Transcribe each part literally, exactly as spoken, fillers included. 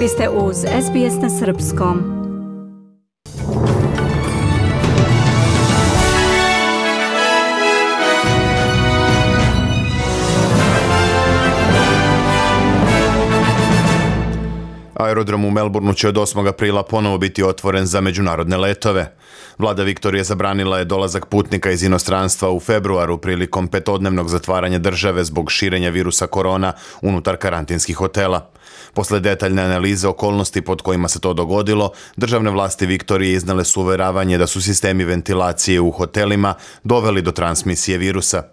Vi ste uz S B S na srpskom. Aerodrom u Melbourneu će od osmog aprila ponovo biti otvoren za međunarodne letove. Vlada Viktorije zabranila je dolazak putnika iz inostranstva u februaru prilikom petodnevnog zatvaranja države zbog širenja virusa korona unutar karantinskih hotela. Posle detaljne analize okolnosti pod kojima se to dogodilo, državne vlasti Viktorije iznale su uveravanje da su sistemi ventilacije u hotelima doveli do transmisije virusa.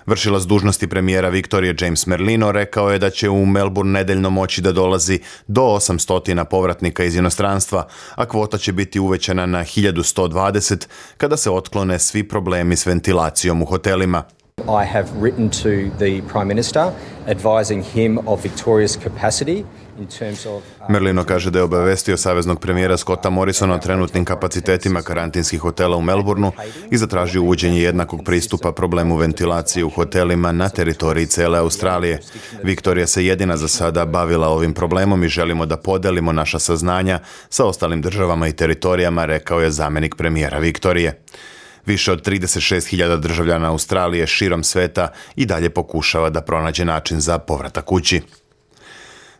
Vršilac dužnosti premijera Viktorije James Merlino rekao je da će u Melbourne nedeljno moći da dolazi do osamsto povratnika iz inostranstva, a kvota će biti uvećana na hiljadu sto dvadeset kada se otklone svi problemi s ventilacijom u hotelima. I have written to the Prime Minister advising him of Victoria's capacity in terms of... Merlino kaže da je obavestio saveznog premijera Scotta Morrisona o trenutnim kapacitetima karantinskih hotela u Melbourneu i zatražio uvođenje jednakog pristupa problemu ventilacije u hotelima na teritoriji cele Australije. Viktorija se jedina za sada bavila ovim problemom i želimo da podelimo naša saznanja sa ostalim državama i teritorijama, rekao je zamenik premijera Viktorije. Više od trideset šest hiljada državljana Australije širom sveta i dalje pokušava da pronađe način za povratak kući.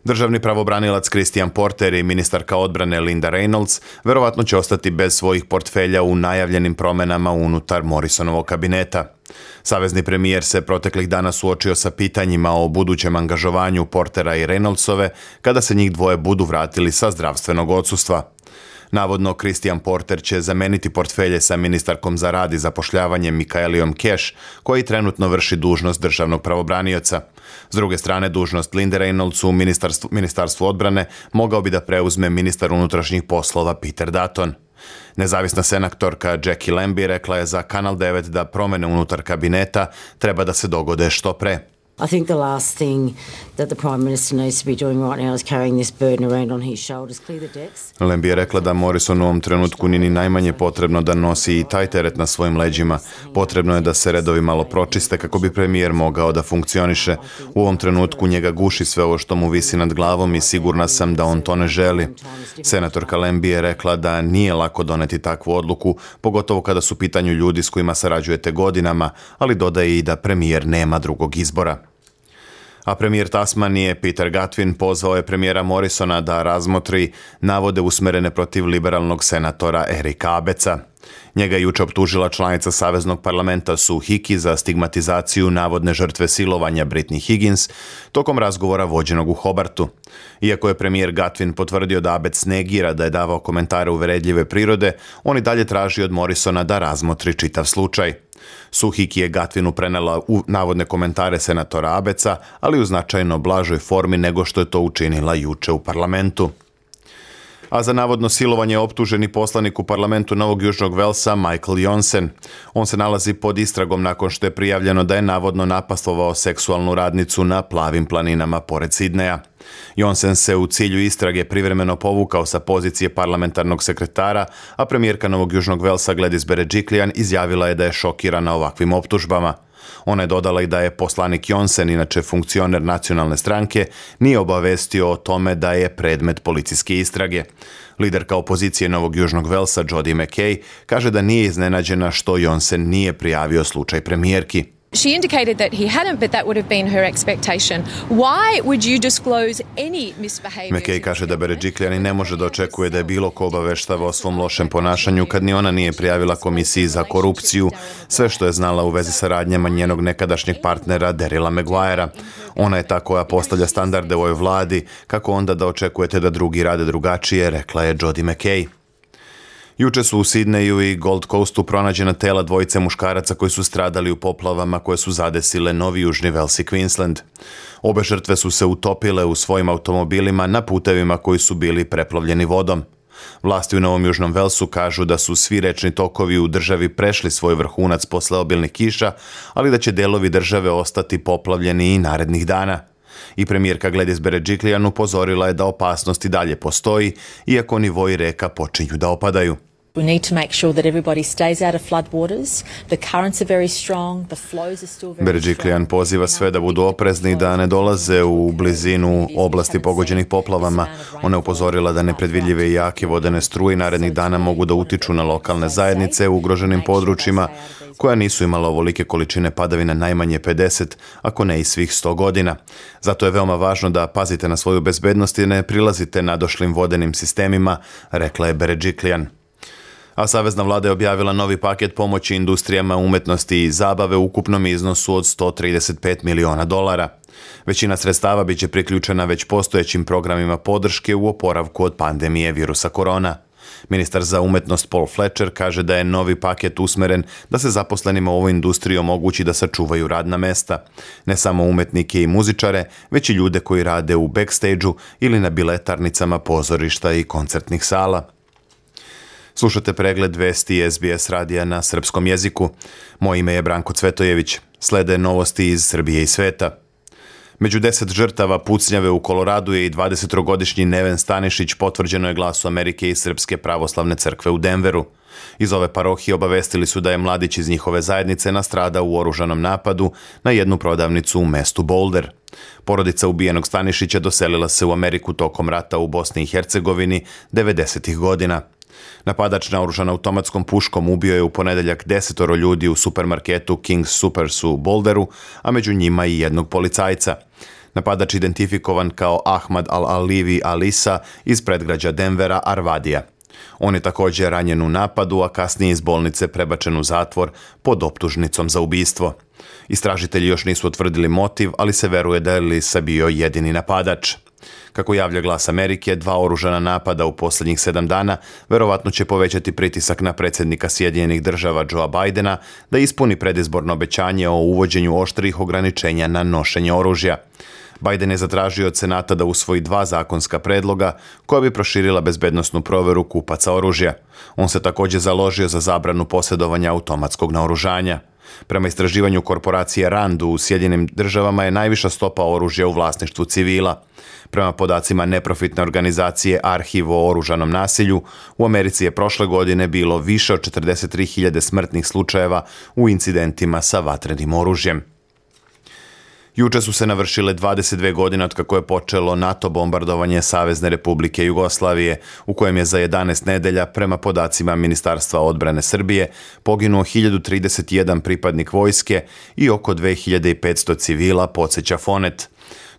Državni pravobranilac Christian Porter i ministarka odbrane Linda Reynolds verovatno će ostati bez svojih portfelja u najavljenim promenama unutar Morrisonovog kabineta. Savezni premijer se proteklih dana suočio sa pitanjima o budućem angažovanju Portera i Reynoldsove kada se njih dvoje budu vratili sa zdravstvenog odsustva. Navodno, Christian Porter će zameniti portfelje sa ministarkom za rad i zapošljavanje Michaeliom Cash, koji trenutno vrši dužnost državnog pravobranioca. S druge strane, dužnost Linde Reynolds u ministarstvu, ministarstvu odbrane mogao bi da preuzme ministar unutrašnjih poslova Peter Dutton. Nezavisna senatorka Jackie Lambie rekla je za Kanal devet da promene unutar kabineta treba da se dogode što pre. I think the last thing that the Prime Minister needs to be doing right now is carrying this burden around on his shoulders, clear the decks. Lambie je rekla da Morrison u ovom trenutku nije ni najmanje potrebno da nosi i taj teret na svojim leđima. Potrebno je da se redovi malo pročiste kako bi premijer mogao da funkcioniše. U ovom trenutku njega guši sve ovo što mu visi nad glavom i sigurna sam da on to ne želi. Senatorka Lambie je rekla da nije lako doneti takvu odluku, pogotovo kada su u pitanju ljudi s kojima sarađujete godinama, ali dodaje i da premijer nema drugog izbora. A premijer Tasmanije Peter Gutwein pozvao je premijera Morrisona da razmotri navode usmerene protiv liberalnog senatora Erika Abetsa. Njega je juče optužila članica Saveznog parlamenta Sue Hickey za stigmatizaciju navodne žrtve silovanja Britney Higgins tokom razgovora vođenog u Hobartu. Iako je premijer Gutwein potvrdio da Abetz negira da je davao komentare uveredljive prirode, on i dalje traži od Morrisona da razmotri čitav slučaj. Sue Hickey je Gutweinu prenela u navodne komentare senatora Abetsa, ali u značajno blažoj formi nego što je to učinila juče u parlamentu. A za navodno silovanje optuženi poslanik u parlamentu Novog Južnog Velsa Michael Johnson. On se nalazi pod istragom nakon što je prijavljeno da je navodno napastovao seksualnu radnicu na Plavim planinama pored Sidneja. Johnson se u cilju istrage privremeno povukao sa pozicije parlamentarnog sekretara, a premijerka Novog Južnog Velsa Gladys Berejiklian izjavila je da je šokirana ovakvim optužbama. Ona je dodala i da je poslanik Johnson, inače funkcioner nacionalne stranke, nije obavestio o tome da je predmet policijske istrage. Liderka opozicije Novog Južnog Velsa Jodi McKay kaže da nije iznenađena što Johnson nije prijavio slučaj premijerki. She indicated that he hadn't, but that would have been her expectation. Why would you disclose any misbehavior? McKay kaže da Berejiklian ne može da očekuje da je bilo ko obaveštava o svom lošem ponašanju kad ni ona nije prijavila komisiji za korupciju sve što je znala u vezi sa radnjama njenog nekadašnjeg partnera Daryla Maguirea. Ona je ta koja postavlja standarde u ovoj vladi, kako onda da očekujete da drugi rade drugačije, rekla je Jodi McKay. Juče su u Sidneju i Gold Coastu pronađena tela dvojice muškaraca koji su stradali u poplavama koje su zadesile Novi Južni Vels i Queensland. Obe žrtve su se utopile u svojim automobilima na putevima koji su bili preplavljeni vodom. Vlasti u Novom Južnom Velsu kažu da su svi rečni tokovi u državi prešli svoj vrhunac posle obilnih kiša, ali da će delovi države ostati poplavljeni i narednih dana. I premijerka Gladys Berejiklian upozorila je da opasnost i dalje postoji, iako nivoji reka počinju da opadaju. We need to make sure that everybody stays out of floodwaters. The currents are very strong, the flows are still very Berejiklian strong. poziva sve da budu oprezni i da ne dolaze u blizinu oblasti pogođenih poplavama. Ona je upozorila da nepredvidljive i jake vodene struje narednih dana mogu da utiču na lokalne zajednice u ugroženim područjima, koja nisu imala ovolike količine padavina najmanje pedeset, ako ne i svih sto godina. Zato je veoma važno da pazite na svoju bezbednost i ne prilazite nadošlim vodenim sistemima, rekla je Berejiklian. A savezna vlada je objavila novi paket pomoći industrijama umetnosti i zabave u ukupnom iznosu od sto trideset pet miliona dolara. Većina sredstava biće priključena već postojećim programima podrške u oporavku od pandemije virusa korona. Ministar za umetnost Paul Fletcher kaže da je novi paket usmeren da se zaposlenima u ovoj industriji omogući da sačuvaju radna mesta. Ne samo umetnike i muzičare, već i ljude koji rade u backstage-u ili na biletarnicama pozorišta i koncertnih sala. Slušate pregled vesti S B S radija na srpskom jeziku. Moje ime je Branko Cvetojević. Slede novosti iz Srbije i sveta. Među deset žrtava pucnjave u Koloradu je i dvadesettrogodišnji Neven Stanišić, potvrđeno je Glasu Amerike i Srpske pravoslavne crkve u Denveru. Iz ove parohije obavestili su da je mladić iz njihove zajednice nastradao u oružanom napadu na jednu prodavnicu u mestu Boulder. Porodica ubijenog Stanišića doselila se u Ameriku tokom rata u Bosni i Hercegovini devedesetih godina. Napadač naoružan automatskom puškom ubio je u ponedeljak desetoro ljudi u supermarketu King's Supers u Boulderu, a među njima i jednog policajca. Napadač identifikovan kao Ahmad Al-Alivi Alisa iz predgrađa Denvera, Arvadija. On je također ranjen u napadu, a kasnije iz bolnice prebačen u zatvor pod optužnicom za ubistvo. Istražitelji još nisu utvrdili motiv, ali se veruje da je Alisa bio jedini napadač. Kako javlja Glas Amerike, dva oružana napada u posljednjih sedam dana verovatno će povećati pritisak na predsjednika Sjedinjenih država Joea Bidena da ispuni predizborno obećanje o uvođenju oštrih ograničenja na nošenje oružja. Biden je zatražio od Senata da usvoji dva zakonska predloga koja bi proširila bezbednosnu proveru kupaca oružja. On se također založio za zabranu posjedovanja automatskog naoružanja. Prema istraživanju korporacije Rand u Sjedinim državama je najviša stopa oružja u vlasništvu civila. Prema podacima neprofitne organizacije Arhiv o oružanom nasilju, u Americi je prošle godine bilo više od četrdeset tri hiljade smrtnih slučajeva u incidentima sa vatrenim oružjem. Juče su se navršile dvadeset dve godine od kako je počelo NATO bombardovanje Savezne Republike Jugoslavije, u kojem je za jedanaest nedelja, prema podacima Ministarstva odbrane Srbije, poginuo hiljadu trideset jedan pripadnik vojske i oko dve hiljade petsto civila, podsjeća Fonet.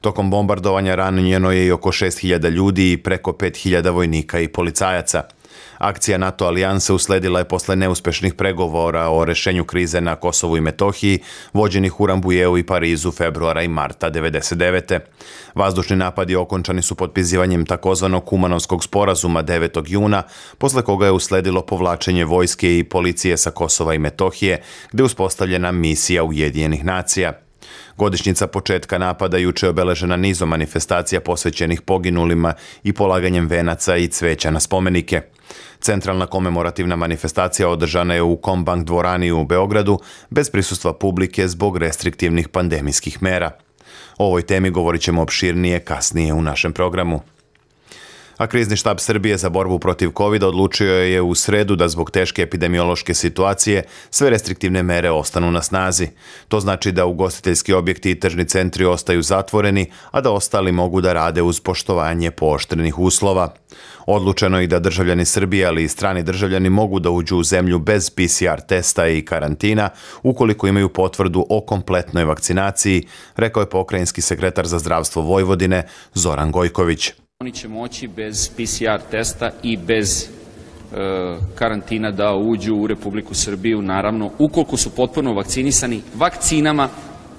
Tokom bombardovanja ranjeno je i oko šest hiljada ljudi i preko pet hiljada vojnika i policajaca. Akcija NATO alijanse usledila je posle neuspešnih pregovora o rešenju krize na Kosovu i Metohiji, vođenih u Rambujeu i Parizu februara i marta devedeset devete. Vazdušni napadi okončani su potpisivanjem takozvanog Kumanovskog sporazuma devetog juna, posle koga je usledilo povlačenje vojske i policije sa Kosova i Metohije, gde je uspostavljena misija Ujedinjenih nacija. Godišnjica početka napada juče je obeležena nizom manifestacija posvećenih poginulima i polaganjem venaca i cveća na spomenike. Centralna komemorativna manifestacija održana je u Kombank dvorani u Beogradu bez prisustva publike zbog restriktivnih pandemijskih mera. O ovoj temi govorit ćemo opširnije kasnije u našem programu. A krizni štab Srbije za borbu protiv kovida odlučio je u sredu da zbog teške epidemiološke situacije sve restriktivne mere ostanu na snazi. To znači da ugostiteljski objekti i tržni centri ostaju zatvoreni, a da ostali mogu da rade uz poštovanje pooštrenih uslova. Odlučeno je i da državljani Srbije, ali i strani državljani mogu da uđu u zemlju bez P C R testa i karantina ukoliko imaju potvrdu o kompletnoj vakcinaciji, rekao je pokrajinski sekretar za zdravstvo Vojvodine Zoran Gojković. Oni će moći bez P C R testa i bez e, karantina da uđu u Republiku Srbiju, naravno, ukoliko su potpuno vakcinisani vakcinama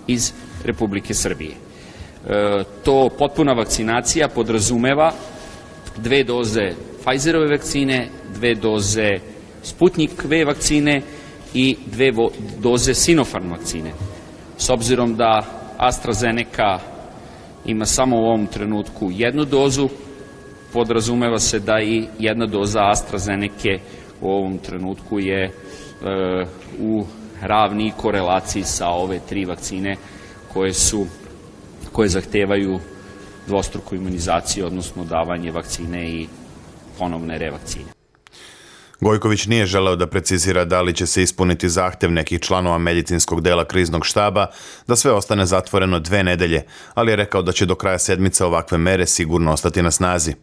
iz Republike Srbije. E, to potpuna vakcinacija podrazumeva dve doze Pfizerove vakcine, dve doze Sputnik V vakcine i dve doze Sinopharm vakcine. S obzirom da AstraZeneca ima samo u ovom trenutku jednu dozu, podrazumeva se da i jedna doza AstraZeneca u ovom trenutku je e, u ravni korelaciji sa ove tri vakcine koje su, koje zahtevaju dvostruku imunizaciju, odnosno davanje vakcine i ponovne revakcine. Gojković nije želeo da precizira da li će se ispuniti zahtev nekih članova medicinskog dela kriznog štaba da sve ostane zatvoreno dve nedelje, ali je rekao da će do kraja sedmice ovakve mere sigurno ostati na snazi.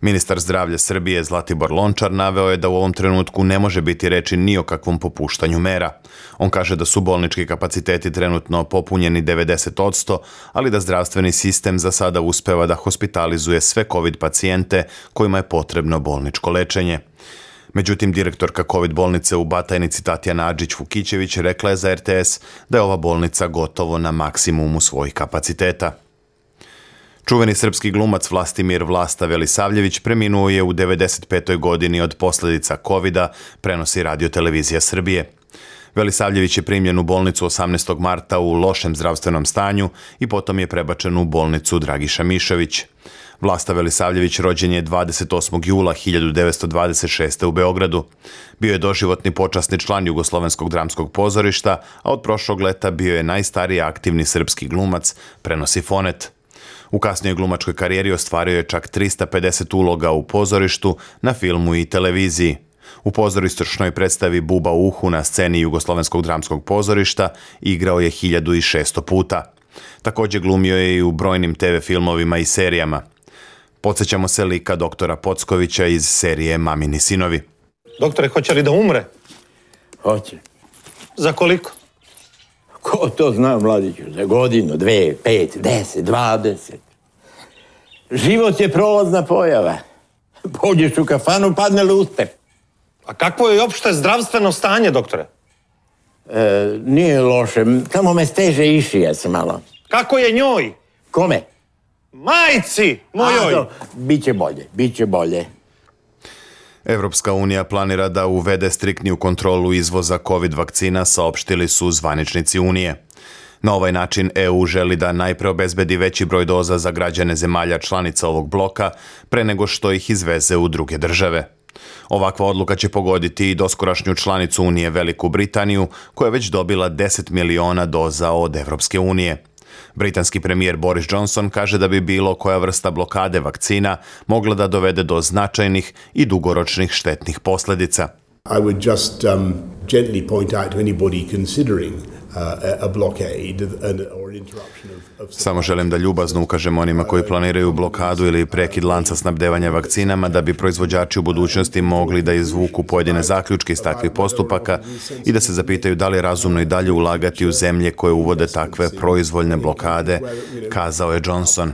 Ministar zdravlja Srbije Zlatibor Lončar naveo je da u ovom trenutku ne može biti reči ni o kakvom popuštanju mera. On kaže da su bolnički kapaciteti trenutno popunjeni devedeset posto, ali da zdravstveni sistem za sada uspeva da hospitalizuje sve COVID pacijente kojima je potrebno bolničko lečenje. Međutim, direktorka COVID bolnice u Batajnici Tatjana Adžić-Vukićević rekla je za er te es da je ova bolnica gotovo na maksimumu svojih kapaciteta. Čuveni srpski glumac Vlastimir Vlasta Velisavljević preminuo je u devedeset petoj godini od posljedica kovida, prenosi Radio televizija Srbije. Velisavljević je primljen u bolnicu osamnaestog marta u lošem zdravstvenom stanju i potom je prebačen u bolnicu Dragiša Mišović. Vlasta Velisavljević rođen je dvadeset osmog jula hiljadu devetsto dvadeset šeste. u Beogradu. Bio je doživotni počasni član Jugoslovenskog dramskog pozorišta, a od prošlog leta bio je najstariji aktivni srpski glumac, prenosi Fonet. U kasnijoj glumačkoj karijeri ostvario je čak trista pedeset uloga u pozorištu, na filmu i televiziji. U pozorišnoj predstavi Buba u uhu na sceni Jugoslovenskog dramskog pozorišta igrao je hiljadu šesto puta. Također glumio je i u brojnim te ve filmovima i serijama. Podsjećamo se lika doktora Pockovića iz serije Mamini sinovi. Doktore, hoće li da umre? Hoće. Za koliko? Ko to zna, mladiću? Za godinu, dve, pet, deset, dvadeset. Život je prolazna pojava. Pođeš u kafanu, padne luster. A kakvo je opšte zdravstveno stanje, doktore? E, nije loše. Tamo me steže išija se malo. Kako je njoj? Kome? Majci mojoj! A, biće bolje, biće bolje. Evropska unija planira da uvede striktniju kontrolu izvoza COVID vakcina, saopštili su zvaničnici Unije. Na ovaj način e u želi da najpre obezbedi veći broj doza za građane zemalja članica ovog bloka, pre nego što ih izveze u druge države. Ovakva odluka će pogoditi i doskorašnju članicu Unije Veliku Britaniju, koja je već dobila deset miliona doza od Evropske unije. Britanski premijer Boris Johnson kaže da bi bilo koja vrsta blokade vakcina mogla da dovede do značajnih i dugoročnih štetnih posljedica. I would just um, gently point out to anybody considering uh, a blockade or an interruption of, of... Samo želim da ljubazno ukažem onima koji planiraju blokadu ili prekid lanca snabdevanja vakcinama da bi proizvođači u budućnosti mogli da izvuku pojedine zaključke iz takvih postupaka i da se zapitaju da li je razumno i dalje ulagati u zemlje koje uvode takve proizvoljne blokade, kazao je Johnson.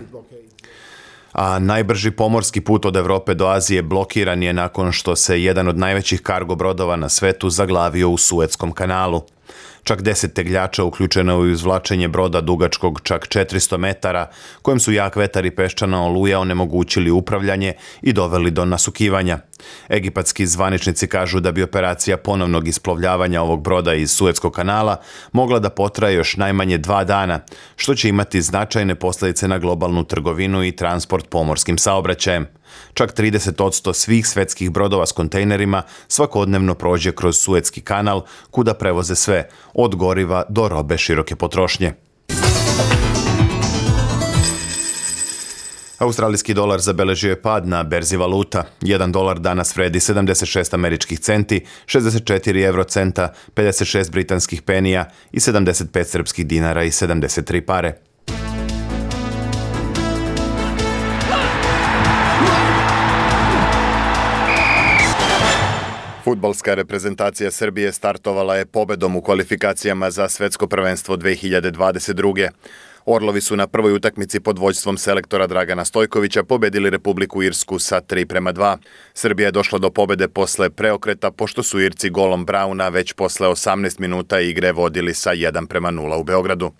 A najbrži pomorski put od Evrope do Azije blokiran je nakon što se jedan od najvećih kargo brodova na svetu zaglavio u Suetskom kanalu. Čak deset tegljača uključeno u izvlačenje broda dugačkog čak četiristo metara, kojem su jak vetar i peščana oluja onemogućili upravljanje i doveli do nasukivanja. Egipatski zvaničnici kažu da bi operacija ponovnog isplovljavanja ovog broda iz Suetskog kanala mogla da potraje još najmanje dva dana, što će imati značajne posljedice na globalnu trgovinu i transport pomorskim saobraćajem. Čak trideset posto svih svetskih brodova s kontejnerima svakodnevno prođe kroz Suetski kanal, kuda prevoze sve, od goriva do robe široke potrošnje. Australijski dolar zabeležio je pad na berzi valuta. Jedan dolar danas vredi sedamdeset šest američkih centi, šezdeset četiri evrocenta, pedeset šest britanskih penija i sedamdeset pet srpskih dinara i sedamdeset tri pare. Fudbalska reprezentacija Srbije startovala je pobedom u kvalifikacijama za svetsko prvenstvo dve hiljade dvadeset druge. Orlovi su na prvoj utakmici pod vođstvom selektora Dragana Stojkovića pobedili Republiku Irsku sa tri prema dva. Srbija je došla do pobede posle preokreta, pošto su Irci golom Brauna već posle osamnaest minuta igre vodili sa jedan prema nula u Beogradu.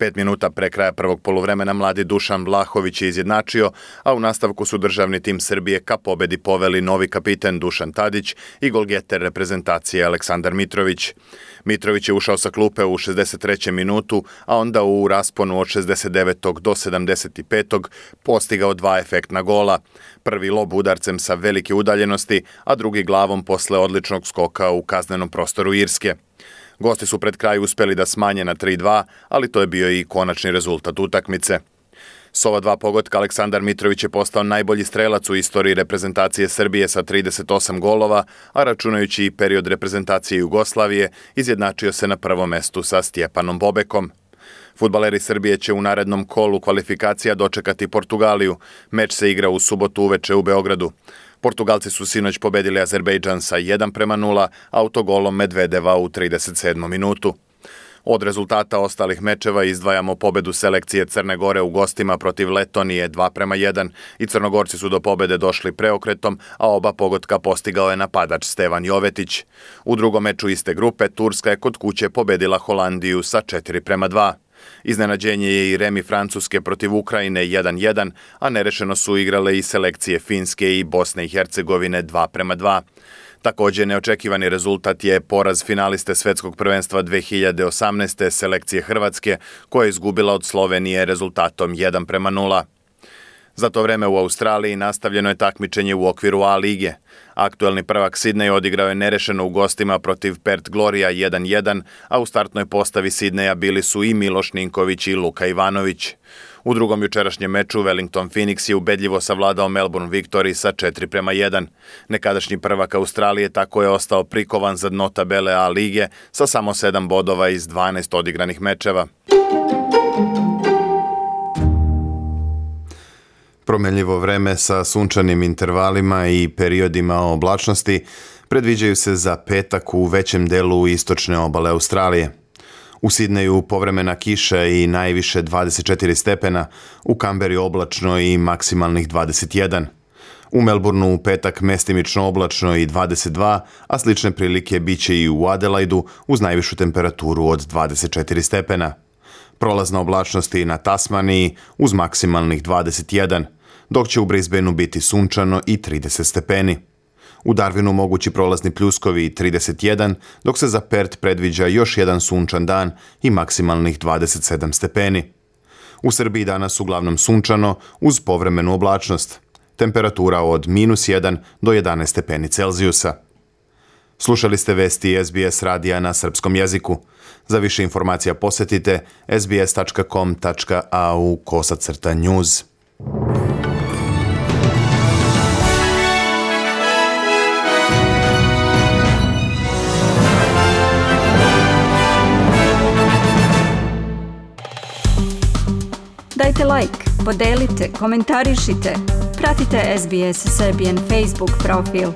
Pet minuta pre kraja prvog poluvremena mladi Dušan Vlahović je izjednačio, a u nastavku su državni tim Srbije ka pobedi poveli novi kapiten Dušan Tadić i golgeter reprezentacije Aleksandar Mitrović. Mitrović je ušao sa klupe u šezdeset trećem minutu, a onda u rasponu od šezdeset devetog do sedamdeset petog postigao dva efektna gola. Prvi lob udarcem sa velike udaljenosti, a drugi glavom posle odličnog skoka u kaznenom prostoru Irske. Gosti su pred kraj uspeli da smanje na tri dva, ali to je bio i konačni rezultat utakmice. S ova dva pogotka Aleksandar Mitrović je postao najbolji strelac u istoriji reprezentacije Srbije sa trideset osam golova, a računajući i period reprezentacije Jugoslavije, izjednačio se na prvom mestu sa Stjepanom Bobekom. Fudbaleri Srbije će u narednom kolu kvalifikacija dočekati Portugaliju. Meč se igra u subotu uveče u Beogradu. Portugalci su sinoć pobedili Azerbejdžan sa jedan prema nula, autogolom Medvedeva u trideset sedmom minutu. Od rezultata ostalih mečeva izdvajamo pobedu selekcije Crne Gore u gostima protiv Letonije dva prema jedan i Crnogorci su do pobede došli preokretom, a oba pogotka postigao je napadač Stevan Jovetić. U drugom meču iste grupe Turska je kod kuće pobedila Holandiju sa četiri prema dva. Iznenađenje je i remi Francuske protiv Ukrajine jedan jedan, a nerešeno su igrale i selekcije Finske i Bosne i Hercegovine dva prema dva. Također neočekivani rezultat je poraz finaliste Svetskog prvenstva dve hiljade osamnaeste selekcije Hrvatske, koja je izgubila od Slovenije rezultatom jedan prema nula. Za to vreme u Australiji nastavljeno je takmičenje u okviru A lige. Aktuelni prvak Sidney odigrao je nerešeno u gostima protiv Perth Gloria jedan jedan, a u startnoj postavi Sidneja bili su i Miloš Ninković i Luka Ivanović. U drugom jučerašnjem meču Wellington Phoenix je ubedljivo savladao Melbourne Victory sa četiri prema jedan. Nekadašnji prvak Australije tako je ostao prikovan za dno tabele A lige sa samo sedam bodova iz dvanaest odigranih mečeva. Promenljivo vreme sa sunčanim intervalima i periodima oblačnosti predviđaju se za petak u većem delu istočne obale Australije. U Sidneju povremena kiša i najviše dvadeset četiri stepena, u Kamberi oblačno i maksimalnih dvadeset jedan. U Melbourneu u petak mestimično oblačno i dvadeset dva, a slične prilike biće i u Adelaidu uz najvišu temperaturu od dvadeset četiri stepena. Prolazna oblačnost i na Tasmaniji uz maksimalnih dvadeset jedan, dok će u Brisbaneu biti sunčano i trideset stepeni. U Darwinu mogući prolazni pljuskovi i trideset jedan, dok se za Perth predviđa još jedan sunčan dan i maksimalnih dvadeset sedam stepeni. U Srbiji danas uglavnom sunčano uz povremenu oblačnost. Temperatura od minus jedan do jedanaest stepeni Celzijusa. Slušali ste vesti S B S radija na srpskom jeziku. Za više informacija posjetite sbs tačka com tačka a u kosacrta news. Dajte like, podelite, komentarišite. Pratite S B S Serbian Facebook profil.